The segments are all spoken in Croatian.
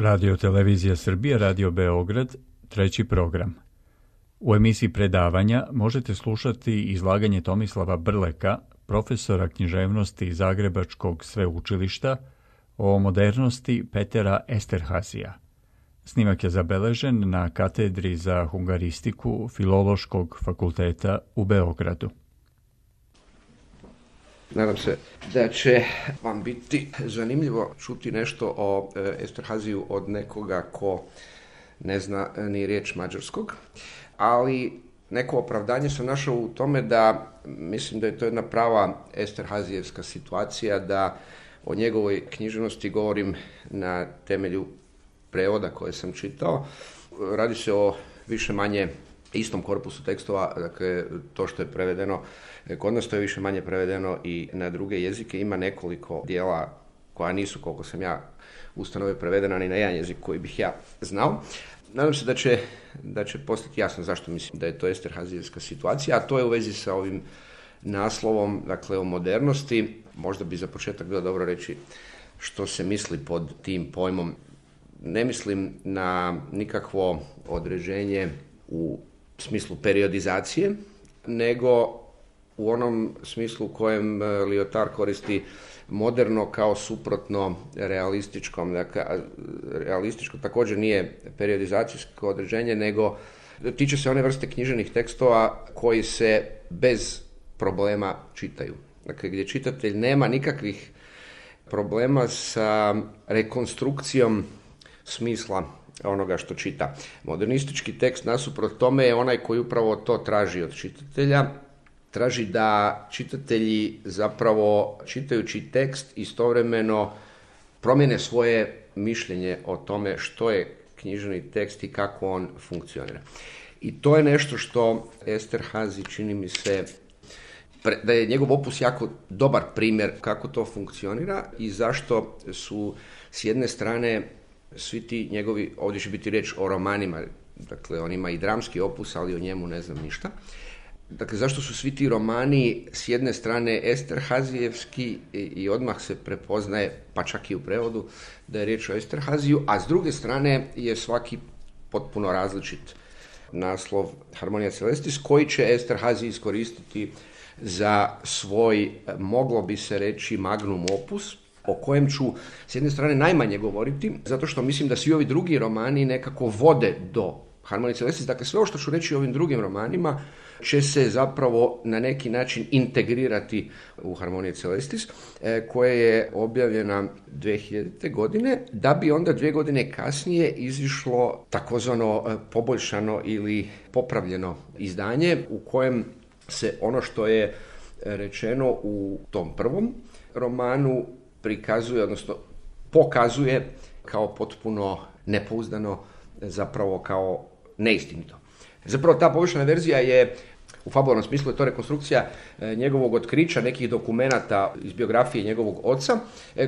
Radio Televizija Srbije, Radio Beograd, treći program. U emisiji predavanja možete slušati izlaganje Tomislava Brleka, profesora književnosti Zagrebačkog sveučilišta, o modernosti Petera Esterhazija. Snimak je zabeležen na katedri za hungaristiku Filološkog fakulteta u Beogradu. Nadam se da će vam biti zanimljivo čuti nešto o Esterhaziju od nekoga ko ne zna ni riječ mađarskog, ali neko opravdanje sam našao u tome da mislim da je to jedna prava esterhazijevska situacija, da o njegovoj književnosti govorim na temelju prevoda koje sam čitao. Radi se o više manje istom korpusu tekstova, dakle to što je prevedeno kod nas, to je više manje prevedeno i na druge jezike. Ima nekoliko dijela koja nisu, koliko sam ja ustanovio, prevedena ni na jedan jezik koji bih ja znao. Nadam se da će postati jasno zašto mislim da je to esterhazijevska situacija, a to je u vezi sa ovim naslovom, dakle o modernosti. Možda bi za početak bilo dobro reći što se misli pod tim pojmom. Ne mislim na nikakvo određenje u smislu periodizacije, nego u onom smislu u kojem Lyotard koristi moderno kao suprotno realističkom. Dakle, realističko također nije periodizacijsko određenje, nego tiče se one vrste književnih tekstova koji se bez problema čitaju. Dakle, gdje čitatelj nema nikakvih problema sa rekonstrukcijom smisla onoga što čita. Modernistički tekst nasuprot tome je onaj koji upravo to traži od čitatelja. Traži da čitatelji zapravo čitajući tekst istovremeno promijene svoje mišljenje o tome što je književni tekst i kako on funkcionira. I to je nešto što Esterhazy, čini mi se, da je njegov opus jako dobar primjer kako to funkcionira i zašto su s jedne strane svi ti njegovi, ovdje će biti riječ o romanima, dakle on ima i dramski opus, ali o njemu ne znam ništa. Dakle, zašto su svi ti romani s jedne strane esterhazijevski i odmah se prepoznaje, pa čak i u prevodu, da je riječ o Esterhaziju, a s druge strane je svaki potpuno različit naslov Harmonia Celestis, koji će Esterhazy iskoristiti za svoj, moglo bi se reći, magnum opus, o kojem ću s jedne strane najmanje govoriti, zato što mislim da svi ovi drugi romani nekako vode do Harmonia Celestis. Dakle, sve ovo što ću reći o ovim drugim romanima će se zapravo na neki način integrirati u Harmonia Celestis, koja je objavljena 2000. godine, da bi onda 2 godine kasnije izišlo takozvano poboljšano ili popravljeno izdanje, u kojem se ono što je rečeno u tom prvom romanu prikazuje, odnosno pokazuje kao potpuno nepouzdano, zapravo kao neistinito. Zapravo ta poboljšana verzija je, u fabularnom smislu je to rekonstrukcija njegovog otkrića, nekih dokumenata iz biografije njegovog oca,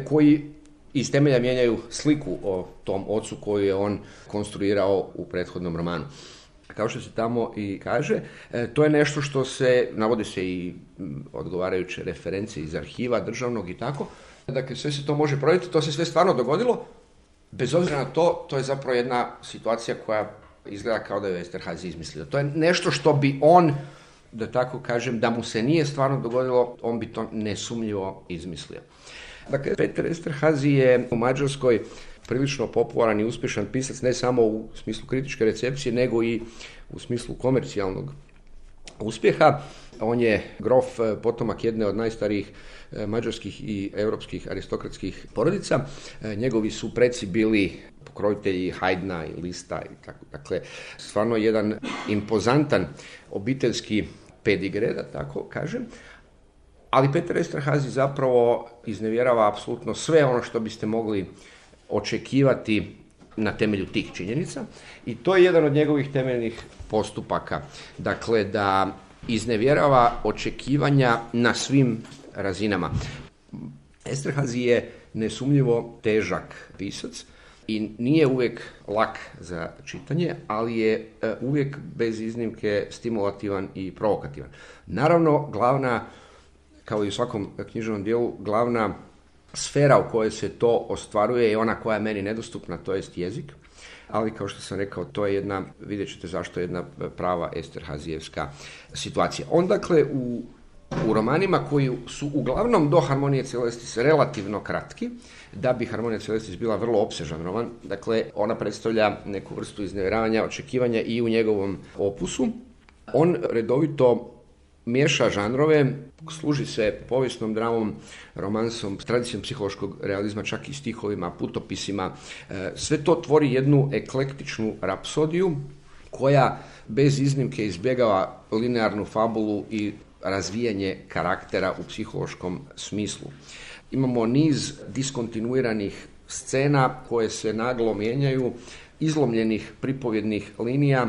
koji iz temelja mijenjaju sliku o tom ocu koju je on konstruirao u prethodnom romanu. Kao što se tamo i kaže, to je nešto što se, navode se i odgovarajuće referencije iz arhiva državnog i tako. Dakle, sve se to može provjeriti, to se sve stvarno dogodilo. Bez obzira na to, to je zapravo jedna situacija koja izgleda kao da je Esterhazy izmislio. To je nešto što bi on, da tako kažem, da mu se nije stvarno dogodilo, on bi to nesumnjivo izmislio. Dakle, Peter Esterhazy je u Mađarskoj prilično popularan i uspješan pisac, ne samo u smislu kritičke recepcije, nego i u smislu komercijalnog uspjeha. On je grof, potomak jedne od najstarijih mađarskih i europskih aristokratskih porodica. Njegovi su preci bili pokrovitelji Haydna i Lista i tako. Dakle, stvarno jedan impozantan obiteljski pedigre, da tako kažem. Ali Peter Esterhazy zapravo iznevjerava apsolutno sve ono što biste mogli očekivati na temelju tih činjenica i to je jedan od njegovih temeljnih postupaka. Dakle, da iznevjerava očekivanja na svim razinama. Esterhazy je nesumnjivo težak pisac i nije uvijek lak za čitanje, ali je uvijek bez iznimke stimulativan i provokativan. Naravno, glavna, kao i u svakom književnom dijelu, glavna sfera u kojoj se to ostvaruje je ona koja je meni nedostupna, to jest jezik. Ali kao što sam rekao, to je jedna, vidjet ćete zašto je jedna prava Esterhazijevska situacija. On dakle u romanima koji su uglavnom do Harmonije Celestis relativno kratki, da bi Harmonija Celestis bila vrlo opsežan roman, dakle ona predstavlja neku vrstu iznevjeravanja, očekivanja i u njegovom opusu. On redovito miješa žanrove, služi se povijesnom dramom, romansom, tradicijom psihološkog realizma, čak i stihovima, putopisima. Sve to tvori jednu eklektičnu rapsodiju koja bez iznimke izbjegava linearnu fabulu i razvijanje karaktera u psihološkom smislu. Imamo niz diskontinuiranih scena koje se naglo mijenjaju, izlomljenih pripovjednih linija,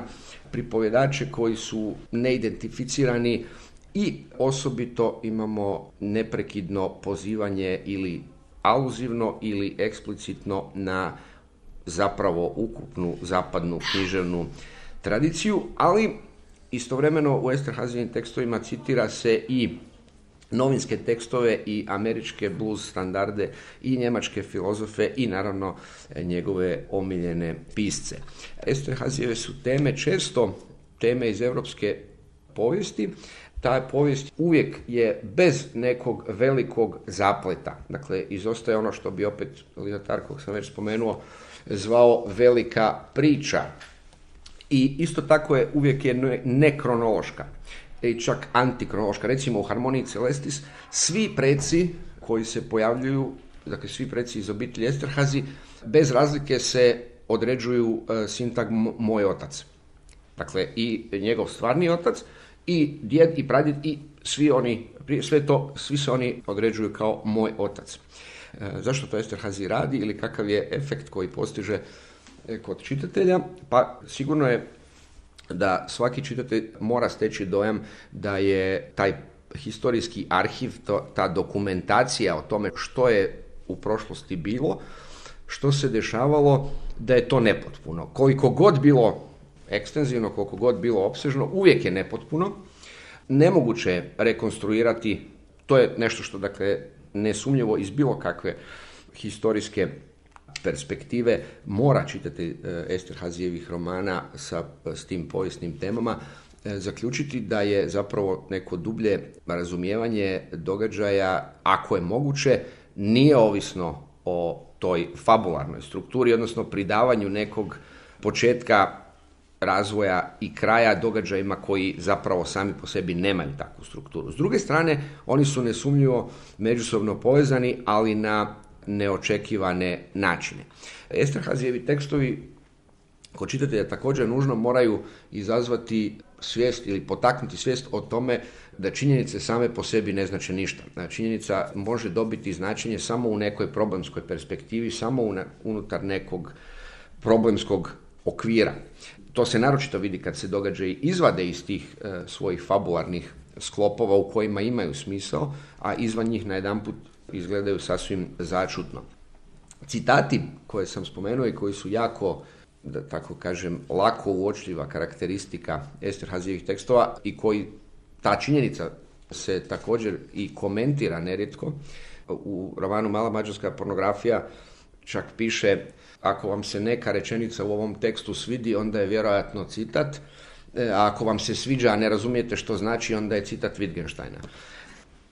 pripovjedače koji su neidentificirani i osobito imamo neprekidno pozivanje ili aluzivno ili eksplicitno na zapravo ukupnu zapadnu književnu tradiciju, ali istovremeno u Esterhazijevim tekstovima citira se i novinske tekstove i američke blues standarde i njemačke filozofe i naravno njegove omiljene pisce. Esterhazijeve su teme često teme iz europske povijesti. Ta povijest uvijek je bez nekog velikog zapleta. Dakle, izostaje ono što bi opet Lyotard, kog sam već spomenuo, zvao velika priča. I isto tako je uvijek je nekronološka i čak antikronološka. Recimo u Harmoniji Celestis svi preci koji se pojavljuju, dakle svi preci iz obitelji Esterhazy, bez razlike se određuju sintagmom moj otac. Dakle, i njegov stvarni otac, i djed, i pradjed, i svi se oni određuju kao moj otac. Zašto to Esterhazy radi ili kakav je efekt koji postiže kod čitatelja? Pa sigurno je da svaki čitatelj mora steći dojam da je taj historijski arhiv, ta dokumentacija o tome što je u prošlosti bilo, što se dešavalo, da je to nepotpuno. Koliko god bilo ekstenzivno, koliko god bilo opsežno, uvijek je nepotpuno. Nemoguće je rekonstruirati, to je nešto što dakle nesumnjivo iz bilo kakve historijske perspektive mora čitati Esterhazijevih romana s tim povijesnim temama zaključiti da je zapravo neko dublje razumijevanje događaja, ako je moguće, nije ovisno o toj fabularnoj strukturi, odnosno pridavanju nekog početka, razvoja i kraja događajima koji zapravo sami po sebi nemaju takvu strukturu. S druge strane, oni su nesumnjivo međusobno povezani, ali na neočekivane načine. Esterhazijevi tekstovi kod čitatelja također nužno moraju izazvati svijest ili potaknuti svijest o tome da činjenice same po sebi ne znače ništa. Činjenica može dobiti značenje samo u nekoj problemskoj perspektivi, samo unutar nekog problemskog okvira. To se naročito vidi kad se događaji izvade iz tih svojih fabularnih sklopova u kojima imaju smisao, a izvan njih najedanput izgledaju sasvim začudno. Citati koje sam spomenuo i koji su jako, da tako kažem, lako uočljiva karakteristika Esterhazijevih tekstova i koji ta činjenica se također i komentira nerijetko. U romanu Mala mađarska pornografija čak piše: ako vam se neka rečenica u ovom tekstu svidi, onda je vjerojatno citat, a ako vam se sviđa, a ne razumijete što znači, onda je citat Wittgensteina.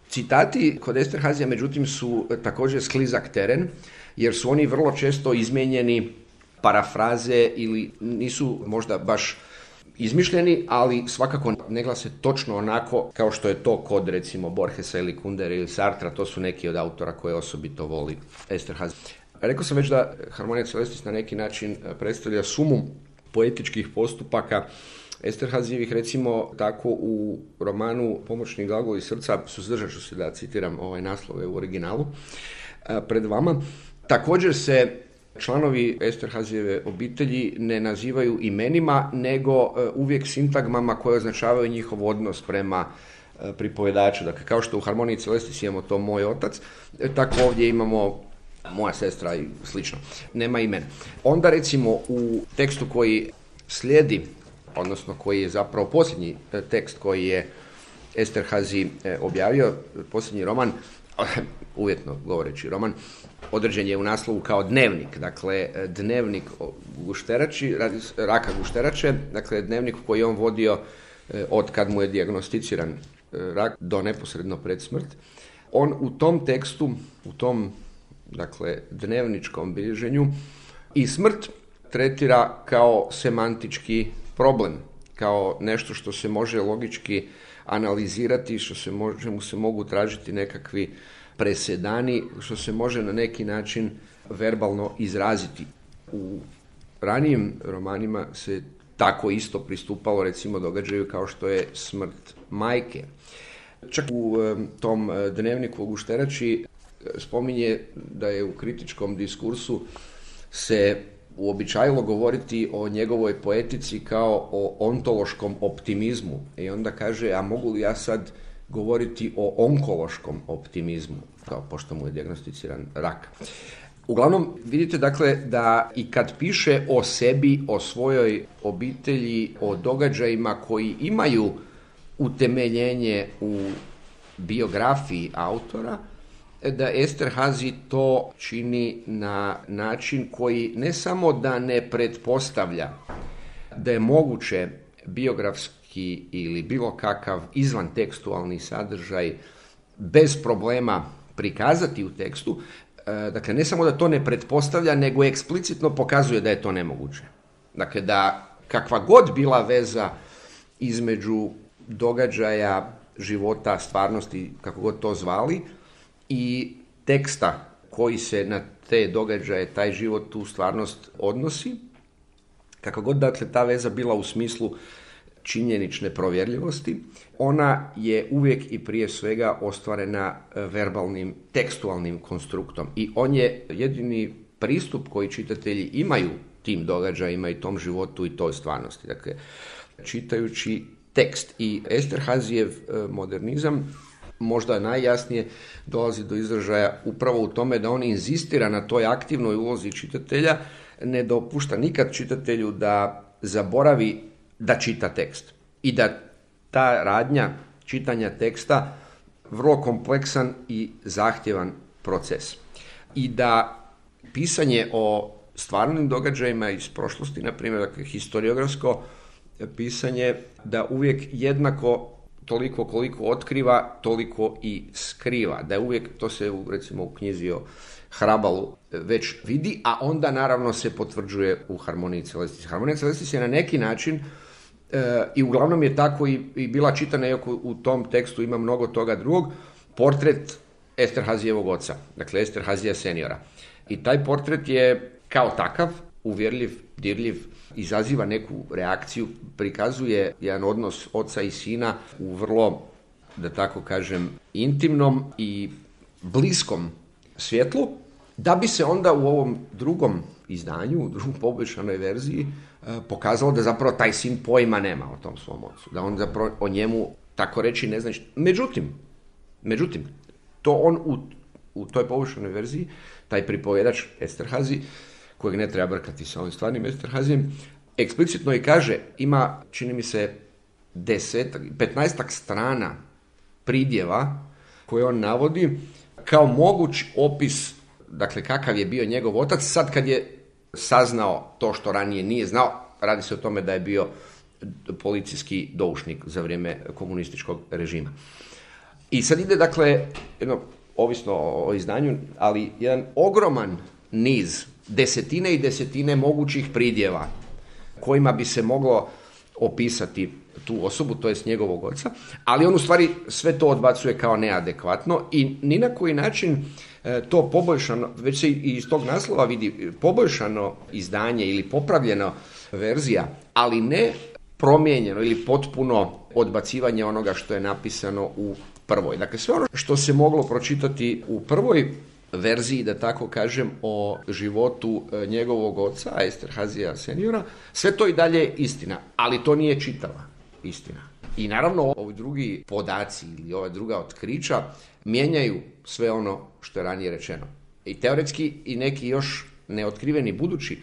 Citati kod Esterhazija, međutim, su također sklizak teren, jer su oni vrlo često izmijenjeni, parafraze ili nisu možda baš izmišljeni, ali svakako ne glase točno onako kao što je to kod recimo Borgesa ili Kundere ili Sartra. To su neki od autora koje osobito voli Esterhazy. Rekao sam već da Harmonija Celestis na neki način predstavlja sumu poetičkih postupaka Esterhazijevih. Recimo tako u romanu Pomoćni glagoli srca, suzdržat ću se da citiram naslove u originalu pred vama. Također se članovi Esterhazijeve obitelji ne nazivaju imenima, nego uvijek sintagmama koje označavaju njihov odnos prema pripovjedaču. Dakle, kao što u Harmoniji Celestis imamo to moj otac, tako ovdje imamo moja sestra i slično. Nema imena. Onda recimo u tekstu koji slijedi, odnosno koji je zapravo posljednji tekst koji je Esterhazy objavio, posljednji roman, uvjetno govoreći roman, određen je u naslovu kao dnevnik, dakle dnevnik raka gušterače, dakle dnevnik koji je on vodio od kad mu je dijagnosticiran rak do neposredno pred smrt. On u tom tekstu, u tom dakle dnevničkom bilježenju i smrt tretira kao semantički problem, kao nešto što se može logički analizirati, čemu se mogu tražiti nekakvi presedani, što se može na neki način verbalno izraziti. U ranijim romanima se tako isto pristupalo recimo događaju kao što je smrt majke. Čak u tom dnevniku o gušterači spominje da je u kritičkom diskursu se uobičajilo govoriti o njegovoj poetici kao o ontološkom optimizmu. I onda kaže, a mogu li ja sad govoriti o onkološkom optimizmu, kao pošto mu je dijagnosticiran rak. Uglavnom, vidite dakle da i kad piše o sebi, o svojoj obitelji, o događajima koji imaju utemeljenje u biografiji autora, da Esterhazy to čini na način koji ne samo da ne pretpostavlja da je moguće biografski ili bilo kakav izvantekstualni sadržaj bez problema prikazati u tekstu, dakle ne samo da to ne pretpostavlja, nego eksplicitno pokazuje da je to nemoguće. Dakle da kakva god bila veza između događaja, života, stvarnosti, kako god to zvali, i teksta koji se na te događaje, taj život, tu stvarnost odnosi, kako god dakle ta veza bila u smislu činjenične provjerljivosti, ona je uvijek i prije svega ostvarena verbalnim, tekstualnim konstruktom. I on je jedini pristup koji čitatelji imaju tim događajima i tom životu i toj stvarnosti. Dakle, čitajući tekst. I Esterhazyjev modernizam možda najjasnije dolazi do izražaja upravo u tome da on inzistira na toj aktivnoj ulozi čitatelja, ne dopušta nikad čitatelju da zaboravi da čita tekst. I da ta radnja čitanja teksta vrlo kompleksan i zahtjevan proces. I da pisanje o stvarnim događajima iz prošlosti, na primjer, dakle, historiografsko pisanje, da uvijek jednako toliko koliko otkriva, toliko i skriva. Da je uvijek, to se recimo u knjizi o Hrabalu već vidi, a onda naravno se potvrđuje u Harmoniji Celestis. Harmonija Celestis je na neki način i uglavnom je tako i bila čitana, iako u tom tekstu ima mnogo toga drugog, portret Esterhazyjevog oca, dakle Esterhazyja seniora. I taj portret je kao takav uvjerljiv, dirljiv, izaziva neku reakciju, prikazuje jedan odnos oca i sina u vrlo, da tako kažem, intimnom i bliskom svjetlu, da bi se onda u ovom drugom izdanju, u drugom poboljšanoj verziji, pokazalo da zapravo taj sin pojma nema o tom svom ocu, da on zapravo o njemu tako reći ne zna. Međutim, to on u toj poboljšanoj verziji, taj pripovjedač Esterhazy, kojeg ne treba brkati sa ovim stvarnim Esterhazyjem, eksplicitno i kaže, ima, čini mi se, 15 strana pridjeva koje on navodi kao moguć opis, dakle, kakav je bio njegov otac, sad kad je saznao to što ranije nije znao. Radi se o tome da je bio policijski doušnik za vrijeme komunističkog režima. I sad ide, dakle, jedno, ovisno o izdanju, ali jedan ogroman niz, desetine i desetine mogućih pridjeva kojima bi se moglo opisati tu osobu, to jest njegovog oca, ali on u stvari sve to odbacuje kao neadekvatno i ni na koji način to poboljšano, već se i iz tog naslova vidi poboljšano izdanje ili popravljena verzija, ali ne promijenjeno ili potpuno odbacivanje onoga što je napisano u prvoj. Dakle, sve ono što se moglo pročitati u prvoj verziji, da tako kažem, o životu njegovog oca, Esterhazyja seniora, sve to i dalje je istina, ali to nije čitava istina. I naravno, ovi drugi podaci ili ova druga otkrića mijenjaju sve ono što je ranije rečeno. I teoretski i neki još neotkriveni budući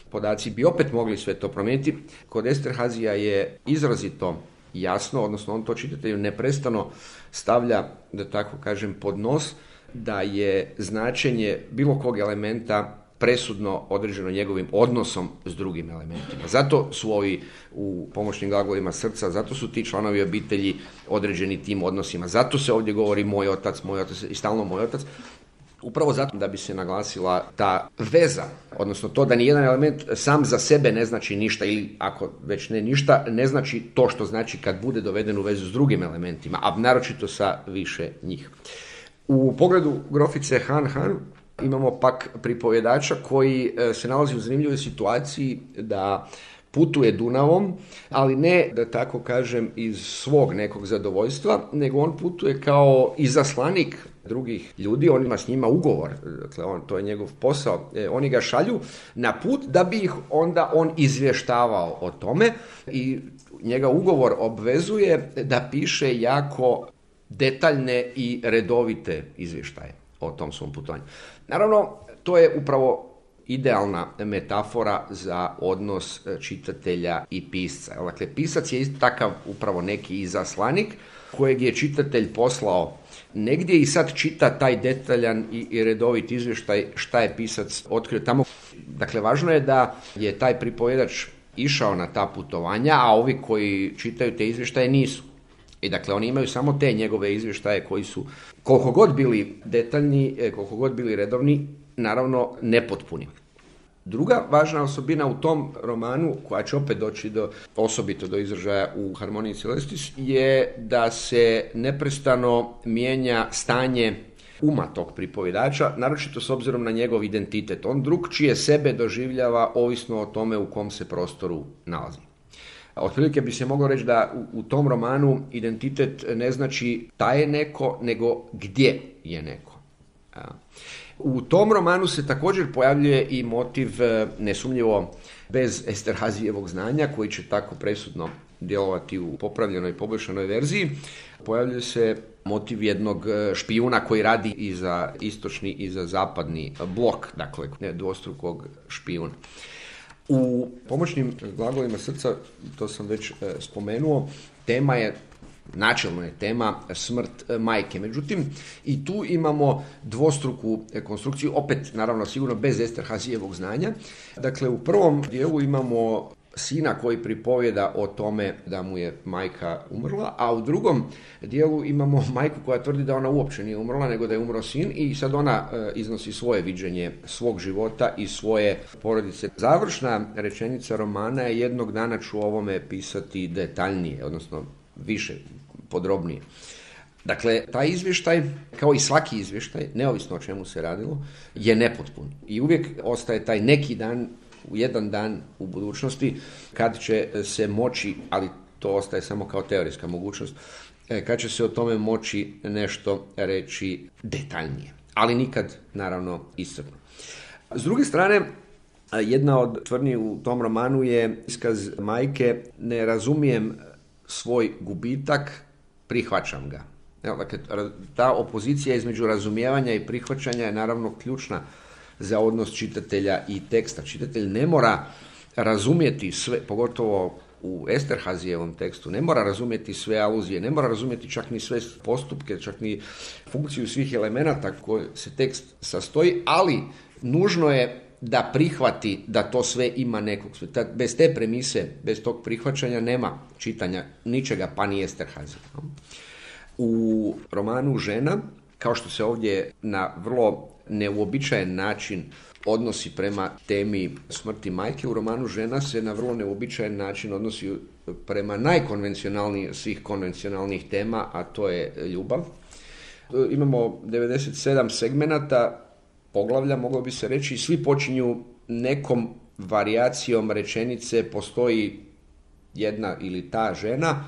podaci bi opet mogli sve to promijeniti. Kod Esterhazyja je izrazito jasno, odnosno on to čitatelju neprestano stavlja, da tako kažem, pod nos, da je značenje bilo kog elementa presudno određeno njegovim odnosom s drugim elementima. Zato su ovi u pomoćnim glagolima srca, zato su ti članovi obitelji određeni tim odnosima. Zato se ovdje govori moj otac i stalno moj otac. Upravo zato da bi se naglasila ta veza, odnosno to da nijedan element sam za sebe ne znači ništa, ili ako već ne ništa, ne znači to što znači kad bude doveden u vezu s drugim elementima, a naročito sa više njih. U pogledu grofice Han imamo pak pripovjedača koji se nalazi u zanimljivoj situaciji da putuje Dunavom, ali ne, da tako kažem, iz svog nekog zadovoljstva, nego on putuje kao izaslanik drugih ljudi, on ima s njima ugovor, dakle to je njegov posao, oni ga šalju na put da bi ih onda on izvještavao o tome i njega ugovor obvezuje da piše jako detaljne i redovite izvještaje o tom svom putovanju. Naravno, to je upravo idealna metafora za odnos čitatelja i pisca. Dakle, pisac je isto takav upravo neki izaslanik kojeg je čitatelj poslao negdje i sad čita taj detaljan i redovit izvještaj šta je pisac otkrio tamo. Dakle, važno je da je taj pripovjedač išao na ta putovanja, a ovi koji čitaju te izvještaje nisu. I dakle, oni imaju samo te njegove izvještaje koji su, koliko god bili detaljni, koliko god bili redovni, naravno nepotpuni. Druga važna osobina u tom romanu, koja će opet doći osobito do izražaja u Harmoniji Celestis, je da se neprestano mijenja stanje uma tog pripovjedača, naročito s obzirom na njegov identitet. On drugčije sebe doživljava ovisno o tome u kom se prostoru nalazi. Otprilike bi se moglo reći da u tom romanu identitet ne znači da je neko, nego gdje je neko. U tom romanu se također pojavljuje i motiv, nesumnjivo bez Esterhazijevog znanja, koji će tako presudno djelovati u popravljenoj i poboljšanoj verziji. Pojavljuje se motiv jednog špijuna koji radi i za istočni i za zapadni blok, dakle dvostrukog špijuna. U pomoćnim glagolima srca, to sam već spomenuo, načelno je tema smrt majke. Međutim, i tu imamo dvostruku konstrukciju, opet naravno sigurno bez Esterhazijevog znanja. Dakle, u prvom dijelu imamo sina koji pripovjeda o tome da mu je majka umrla, a u drugom dijelu imamo majku koja tvrdi da ona uopće nije umrla, nego da je umro sin i sad ona iznosi svoje viđenje svog života i svoje porodice. Završna rečenica romana je: jednog dana ću ovome pisati detaljnije, odnosno više, podrobnije. Dakle, taj izvještaj, kao i svaki izvještaj, neovisno o čemu se radilo, je nepotpun. I uvijek ostaje taj neki dan, jedan dan u budućnosti, kad će se moći, ali to ostaje samo kao teorijska mogućnost, kad će se o tome moći nešto reći detaljnije. Ali nikad, naravno, iscrpno. S druge strane, jedna od tvrdnji u tom romanu je iskaz majke: ne razumijem svoj gubitak, prihvaćam ga. Dakle, ta opozicija između razumijevanja i prihvaćanja je naravno ključna za odnos čitatelja i teksta. Čitatelj ne mora razumjeti sve, pogotovo u Esterhazijevom tekstu, ne mora razumjeti sve aluzije, ne mora razumjeti čak ni sve postupke, čak ni funkciju svih elemenata koje se tekst sastoji, ali nužno je da prihvati da to sve ima nekog. Bez te premise, bez tog prihvaćanja nema čitanja ničega, pa ni Esterhazija. U romanu Žena, kao što se ovdje na vrlo neuobičajen način odnosi prema temi smrti majke, u romanu Žena se na vrlo neuobičajen način odnosi prema najkonvencionalnijih svih konvencionalnih tema, a to je ljubav. Imamo 97 segmenata, poglavlja, moglo bi se reći, i svi počinju nekom varijacijom rečenice: postoji jedna ili ta žena,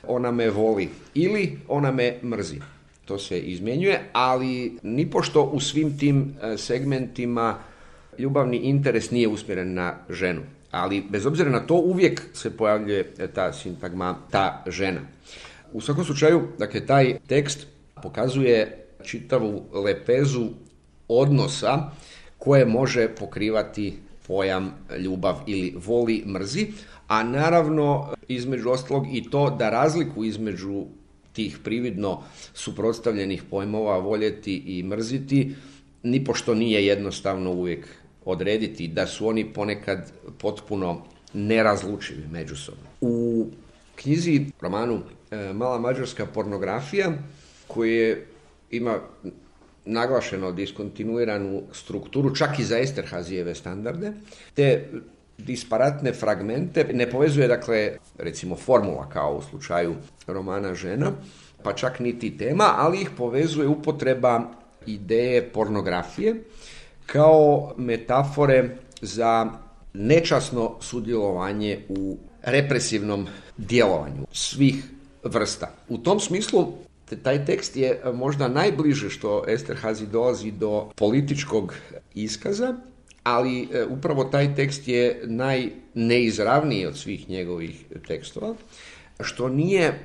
ona me voli ili ona me mrzi. To se izmjenjuje, ali nipošto u svim tim segmentima ljubavni interes nije usmjeren na ženu. Ali bez obzira na to uvijek se pojavljuje ta sintagma ta žena. U svakom slučaju, dakle, taj tekst pokazuje čitavu lepezu odnosa koje može pokrivati pojam ljubav ili voli, mrzi, a naravno između ostalog i to da razliku između tih prividno suprotstavljenih pojmova voljeti i mrziti nipošto nije jednostavno uvijek odrediti, da su oni ponekad potpuno nerazlučivi međusobno. U knjizi, romanu Mala mađarska pornografija, koji ima naglašeno diskontinuiranu strukturu, čak i za Esterhazijeve standarde, te disparatne fragmente ne povezuje, dakle, recimo formula kao u slučaju romana Žena, pa čak niti tema, ali ih povezuje upotreba ideje pornografije kao metafore za nečasno sudjelovanje u represivnom djelovanju svih vrsta. U tom smislu taj tekst je možda najbliže što Esterhazy dolazi do političkog iskaza, ali upravo taj tekst je najneizravniji od svih njegovih tekstova, što nije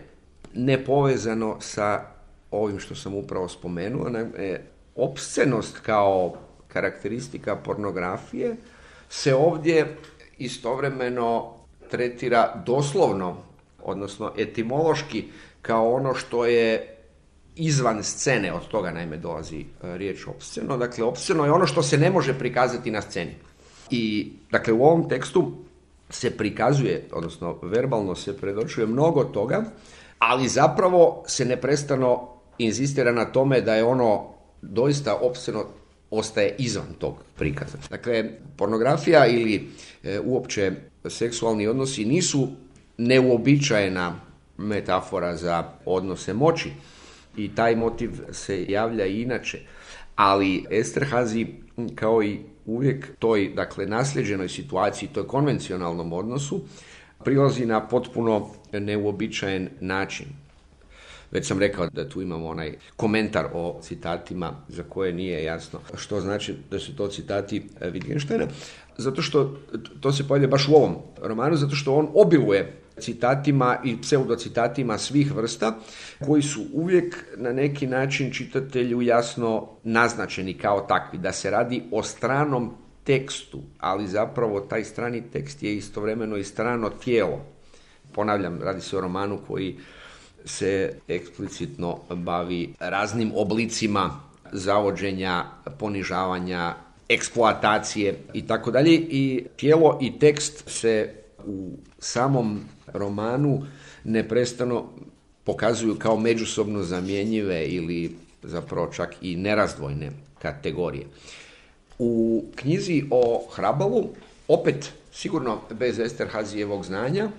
nepovezano sa ovim što sam upravo spomenuo. Opscenost kao karakteristika pornografije se ovdje istovremeno tretira doslovno, odnosno etimološki, kao ono što je izvan scene, od toga naime dolazi riječ opsceno. Dakle, opsceno je ono što se ne može prikazati na sceni. I, dakle, u ovom tekstu se prikazuje, odnosno verbalno se predočuje mnogo toga, ali zapravo se neprestano inzistira na tome da je ono doista opsceno, ostaje izvan tog prikaza. Dakle, pornografija ili uopće seksualni odnosi nisu neuobičajena metafora za odnose moći i taj motiv se javlja i inače, ali Esterhazy, kao i uvijek toj, dakle, nasljeđenoj situaciji, toj konvencionalnom odnosu, prilazi na potpuno neuobičajen način. Već sam rekao da tu imamo onaj komentar o citatima za koje nije jasno što znači da su to citati Wittgensteina, zato što to se pojavlja baš u ovom romanu, zato što on obiluje citatima i pseudocitatima svih vrsta, koji su uvijek na neki način čitatelju jasno naznačeni kao takvi, da se radi o stranom tekstu, ali zapravo taj strani tekst je istovremeno i strano tijelo. Ponavljam, radi se o romanu koji se eksplicitno bavi raznim oblicima zavođenja, ponižavanja, eksploatacije i tako dalje. I tijelo i tekst se u samom romanu neprestano pokazuju kao međusobno zamjenjive ili zapravo čak i nerazdvojne kategorije. U knjizi o Hrabalu, opet sigurno bez Esterhazyjevog znanja,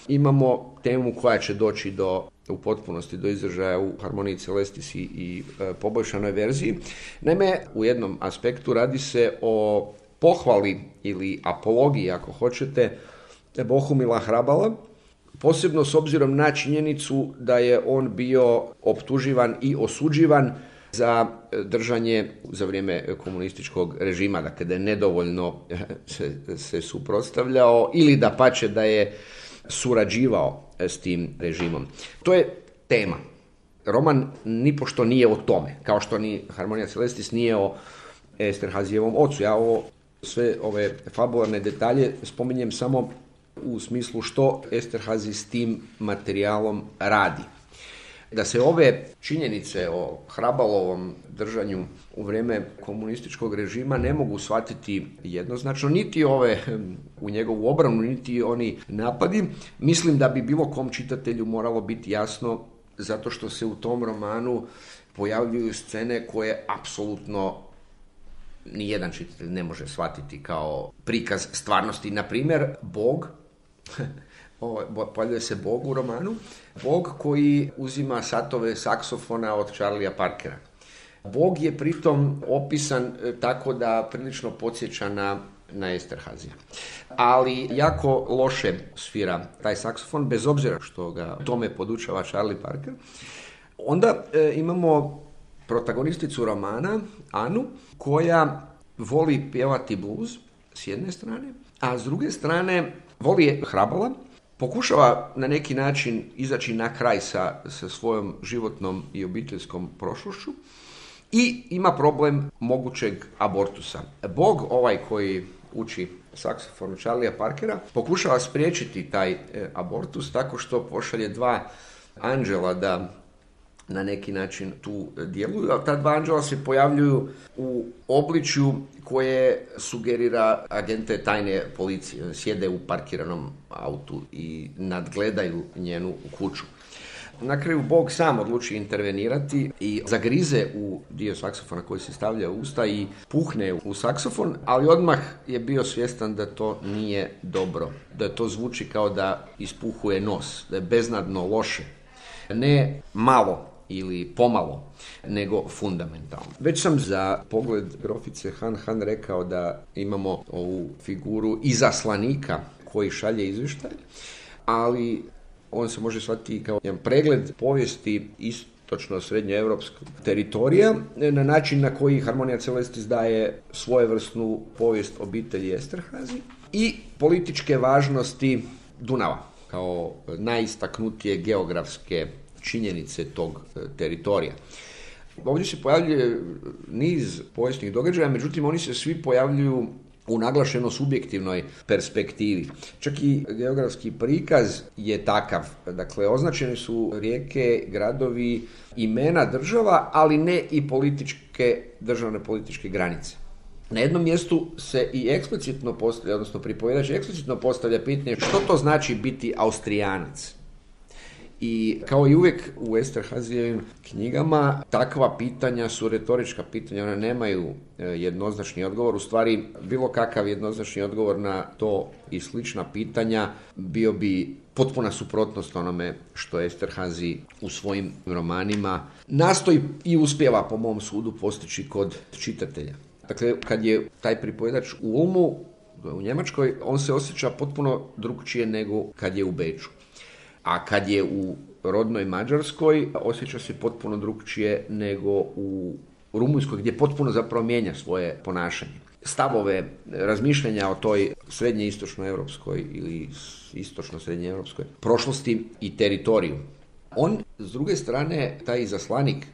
imamo temu koja će doći u potpunosti do izražaja u Harmoniji Celestis i poboljšanoj verziji. Naime, u jednom aspektu radi se o pohvali ili apologiji, ako hoćete, Bohumila Hrabala, posebno s obzirom na činjenicu da je on bio optuživan i osuđivan za držanje za vrijeme komunističkog režima, dakle da je nedovoljno se suprotstavljao ili dapače da je surađivao s tim režimom. To je tema. Roman nipošto nije o tome, kao što ni Harmonija Celestis nije o Esterhazyjevom ocu. Ja sve ove fabularne detalje spominjem samo u smislu što Esterhazy s tim materijalom radi. Da se ove činjenice o Hrabalovom držanju u vrijeme komunističkog režima ne mogu shvatiti jednoznačno, niti ove u njegovu obranu, niti oni napadi, mislim da bi bilo kom čitatelju moralo biti jasno, zato što se u tom romanu pojavljuju scene koje apsolutno nijedan čitatelj ne može shvatiti kao prikaz stvarnosti. Na primjer, Bog, pojavljuje se Bog u romanu, Bog koji uzima satove saksofona od Charlie'a Parkera. Bog je pritom opisan tako da prilično podsjeća na Esterhazyja. Ali jako loše svira taj saksofon, bez obzira što ga tome podučava Charlie Parker. Onda imamo protagonisticu romana, Anu, koja voli pjevati blues s jedne strane, a s druge strane voli Hrabala, pokušava na neki način izaći na kraj sa svojom životnom i obiteljskom prošlošću i ima problem mogućeg abortusa. Bog, ovaj koji uči saksofon Charlie'a Parkera, pokušava spriječiti taj abortus tako što pošalje dva anđela da na neki način tu djeluju, a ta dva anđela se pojavljuju u obličju koje sugerira agente tajne policije. Sjede u parkiranom autu i nadgledaju njenu kuću. Na kraju Bog sam odluči intervenirati i zagrize u dio saksofona koji se stavlja u usta i puhne u saksofon, ali odmah je bio svjestan da to nije dobro, da to zvuči kao da ispuhuje nos, da je beznadno loše. Ne malo ili pomalo, nego fundamentalno. Već sam za pogled grofice Han rekao da imamo ovu figuru izaslanika koji šalje izvještaj, ali on se može shvatiti kao jedan pregled povijesti istočno-srednjoevropskog teritorija na način na koji Harmonia Celestis daje svojevrsnu povijest obitelji Esterhazy i političke važnosti Dunava kao najistaknutije geografske činjenice tog teritorija. Ovdje se pojavljuje niz povijesnih događaja, međutim oni se svi pojavljuju u naglašeno subjektivnoj perspektivi. Čak i geografski prikaz je takav. Dakle, označene su rijeke, gradovi, imena država, ali ne i državne političke granice. Na jednom mjestu se i eksplicitno postavlja, odnosno pripovjedač eksplicitno postavlja pitanje što to znači biti Austrijanac. I kao i uvijek u Esterhazyjevim knjigama takva pitanja su retorička pitanja, one nemaju jednoznačni odgovor. U stvari, bilo kakav jednoznačni odgovor na to i slična pitanja bio bi potpuna suprotnost onome što Esterhazy u svojim romanima nastoji i uspijeva, po mom sudu, postići kod čitatelja. Dakle, kad je taj pripovjedač u Ulmu, u Njemačkoj, on se osjeća potpuno drukčije nego kad je u Beču. A kad je u rodnoj Mađarskoj, osjeća se potpuno drukčije nego u Rumunjskoj, gdje potpuno zapravo mijenja svoje ponašanje. Stavove, razmišljanja o toj srednje-istočnoevropskoj ili istočno-srednjeevropskoj prošlosti i teritoriju. On, s druge strane, taj izaslanik,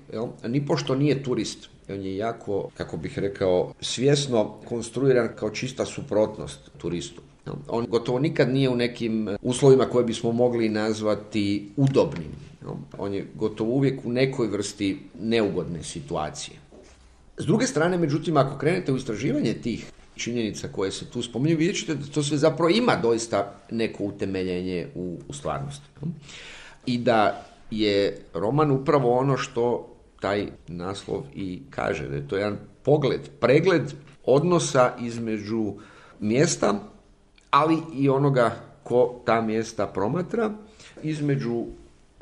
nipošto nije turist. On je jako, kako bih rekao, svjesno konstruiran kao čista suprotnost turistu. On gotovo nikad nije u nekim uslovima koje bismo mogli nazvati udobnim. On je gotovo uvijek u nekoj vrsti neugodne situacije. S druge strane, međutim, ako krenete u istraživanje tih činjenica koje se tu spominju, vidjet ćete da to sve zapravo ima doista neko utemeljenje u stvarnosti. I da je roman upravo ono što taj naslov i kaže, da je to jedan pregled odnosa između mjesta, ali i onoga ko ta mjesta promatra, između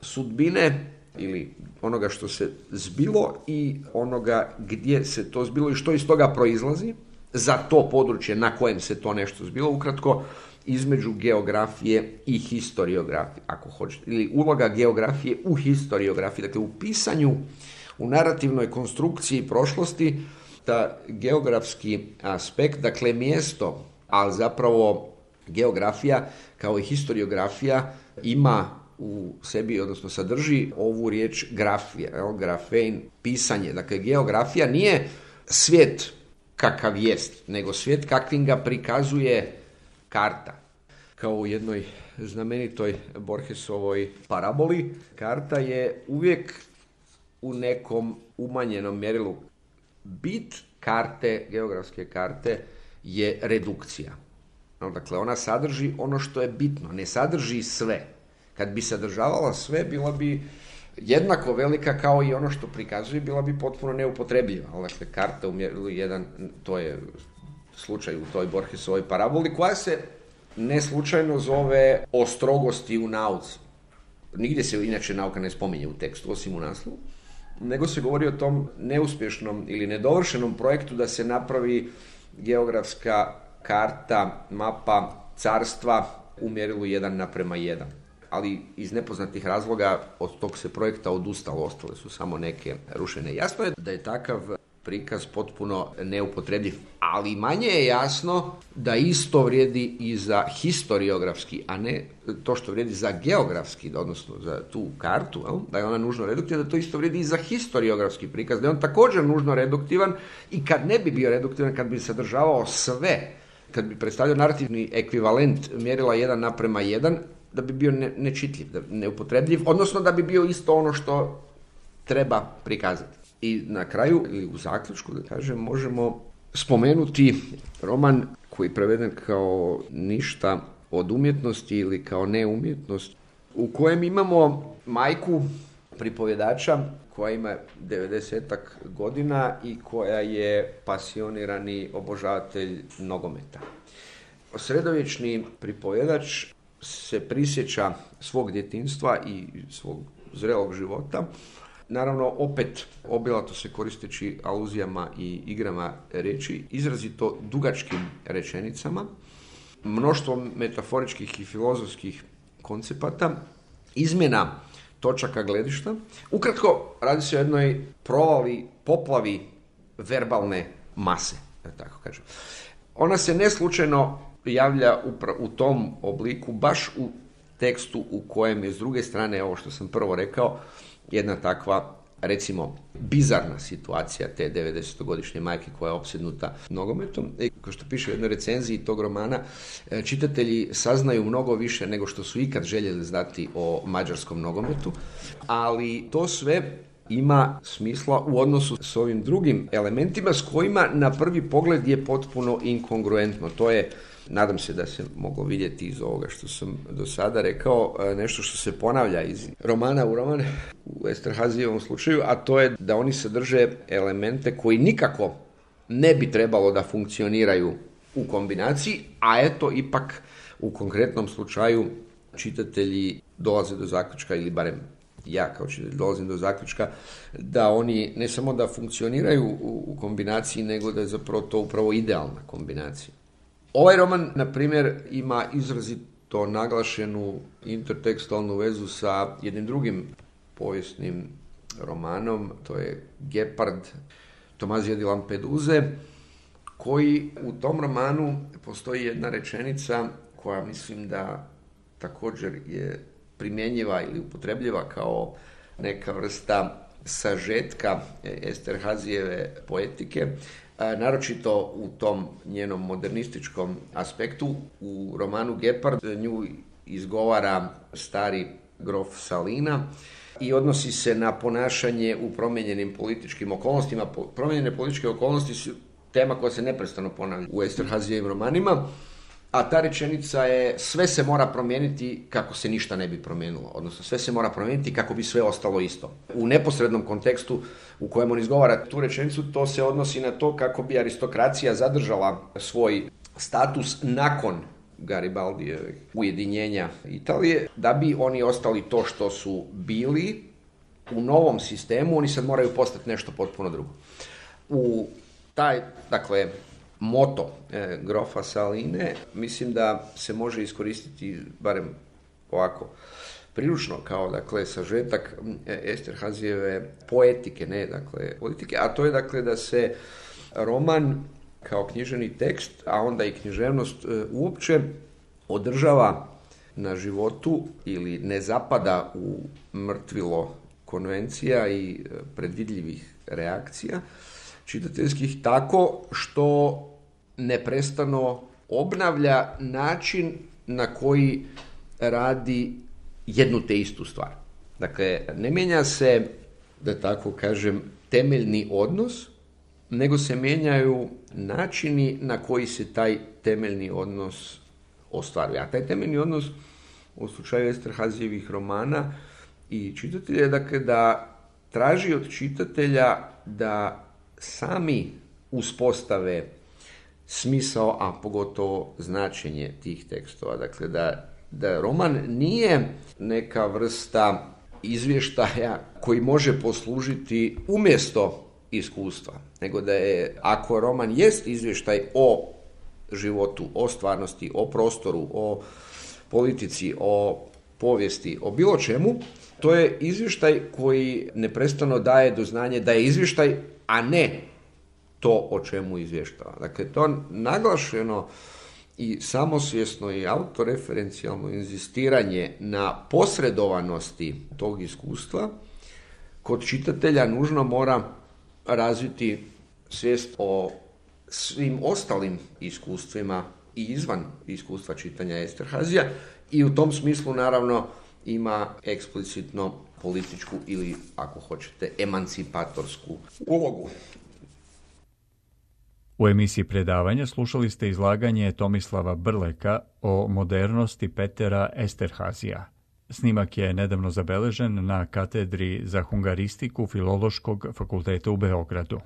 sudbine ili onoga što se zbilo i onoga gdje se to zbilo i što iz toga proizlazi za to područje na kojem se to nešto zbilo, ukratko između geografije i historiografije, ako hoćete, ili uloga geografije u historiografiji, dakle u pisanju, u narativnoj konstrukciji prošlosti, ta geografski aspekt, dakle mjesto, ali zapravo geografija kao i historiografija ima u sebi, odnosno sadrži ovu riječ grafija, grafein, pisanje. Dakle, geografija nije svijet kakav jest, nego svijet kakvim ga prikazuje karta. Kao u jednoj znamenitoj Borgesovoj paraboli, karta je uvijek u nekom umanjenom mjerilu. Bit karte, geografske karte, je redukcija. Dakle, ona sadrži ono što je bitno, ne sadrži sve. Kad bi sadržavala sve, bila bi jednako velika kao i ono što prikazuje, bila bi potpuno neupotrebljiva. Dakle, karta u mjerilu 1, to je slučaj u toj Borgesovoj paraboli, koja se ne slučajno zove o strogosti u nauci. Nigdje se inače nauka ne spominje u tekstu, osim u naslovu, nego se govori o tom neuspješnom ili nedovršenom projektu da se napravi geografska karta, mapa carstva u mjerilu 1:1. Ali iz nepoznatih razloga od tog se projekta odustalo, ostale su samo neke rušene. Jasno je da je takav prikaz potpuno neupotrebljiv, ali manje je jasno da isto vrijedi i za historiografski, a ne to što vrijedi za geografski, odnosno za tu kartu, da je ona nužno reduktivna, da to isto vrijedi i za historiografski prikaz, da je on također nužno reduktivan i kad ne bi bio reduktivan, kad bi sadržavao sve, kad bi predstavljao narativni ekvivalent mjerila 1:1, da bi bio nečitljiv, neupotrebljiv, odnosno da bi bio isto ono što treba prikazati. I na kraju, ili u zaključku, da kažem, možemo spomenuti roman koji je preveden kao Ništa od umjetnosti ili kao neumjetnost, u kojem imamo majku pripovjedača koja ima 90-ak godina i koja je pasionirani obožavatelj nogometa. Sredovječni pripovjedač se prisjeća svog djetinjstva i svog zrelog života. Naravno, opet obilato se koristeći aluzijama i igrama riječi, izrazito dugačkim rečenicama, mnoštvom metaforičkih i filozofskih koncepata, izmjena točaka gledišta. Ukratko, radi se o jednoj poplavi verbalne mase, da tako kažem. Ona se ne slučajno javlja u tom obliku, baš u tekstu u kojem je s druge strane, ovo što sam prvo rekao, jedna takva, recimo, bizarna situacija te 90-godišnje majke koja je opsjednuta nogometom. Kao što piše u jednoj recenziji tog romana, čitatelji saznaju mnogo više nego što su ikad željeli znati o mađarskom nogometu, ali to sve ima smisla u odnosu s ovim drugim elementima s kojima na prvi pogled je potpuno inkongruentno. To je, nadam se da se moglo vidjeti iz ovoga što sam do sada rekao, nešto što se ponavlja iz romana u roman u Esterhazijevom slučaju, a to je da oni sadrže elemente koji nikako ne bi trebalo da funkcioniraju u kombinaciji, a eto ipak u konkretnom slučaju čitatelji dolaze do zaključka, ili barem ja kao čitatelj dolazim do zaključka, da oni ne samo da funkcioniraju u kombinaciji, nego da je zapravo to upravo idealna kombinacija. Ovaj roman, na primjer, ima izrazito naglašenu intertekstualnu vezu sa jednim drugim povijesnim romanom, to je Gepard Tomazija di Lampeduze, koji u tom romanu postoji jedna rečenica koja mislim da također je primjenjiva ili upotrebljiva kao neka vrsta sažetka Esterhazijeve poetike, naročito u tom njenom modernističkom aspektu. U romanu Gepard nju izgovara stari grof Salina i odnosi se na ponašanje u promijenjenim političkim okolnostima. Promijenjene političke okolnosti su tema koja se neprestano ponavlja u Esterhazijevim romanima, a ta rečenica je: sve se mora promijeniti kako se ništa ne bi promijenilo, odnosno sve se mora promijeniti kako bi sve ostalo isto. U neposrednom kontekstu u kojem on izgovara tu rečenicu, to se odnosi na to kako bi aristokracija zadržala svoj status nakon Garibaldijevih ujedinjenja Italije, da bi oni ostali to što su bili u novom sistemu. Oni sad moraju postati nešto potpuno drugo. U taj, dakle, moto grofa Saline mislim da se može iskoristiti barem ovako priručno kao, dakle, sažetak Esterhazijeve poetike, ne, dakle, politike, a to je, dakle, da se roman kao književni tekst, a onda i književnost uopće održava na životu ili ne zapada u mrtvilo konvencija i predvidljivih reakcija čitateljskih, tako što neprestano obnavlja način na koji radi jednu te istu stvar. Dakle, ne mijenja se, da tako kažem, temeljni odnos, nego se mijenjaju načini na koji se taj temeljni odnos ostvaruje. A taj temeljni odnos u slučaju Esterhazijevih romana i čitatelja je, dakle, da traži od čitatelja da sami uspostave smisao, a pogotovo značenje tih tekstova. Dakle, da roman nije neka vrsta izvještaja koji može poslužiti umjesto iskustva, nego da je, ako roman jest izvještaj o životu, o stvarnosti, o prostoru, o politici, o povijesti, o bilo čemu, to je izvještaj koji neprestano daje do znanja da je izvještaj, a ne to o čemu izvještava. Dakle, to naglašeno i samosvjesno i autoreferencijalno inzistiranje na posredovanosti tog iskustva kod čitatelja nužno mora razviti svijest o svim ostalim iskustvima i izvan iskustva čitanja Esterhazija, i u tom smislu naravno ima eksplicitno političku ili, ako hoćete, emancipatorsku ulogu. U emisiji predavanja slušali ste izlaganje Tomislava Brleka o modernosti Petera Esterhazija. Snimak je nedavno zabeležen na katedri za hungaristiku Filološkog fakulteta u Beogradu.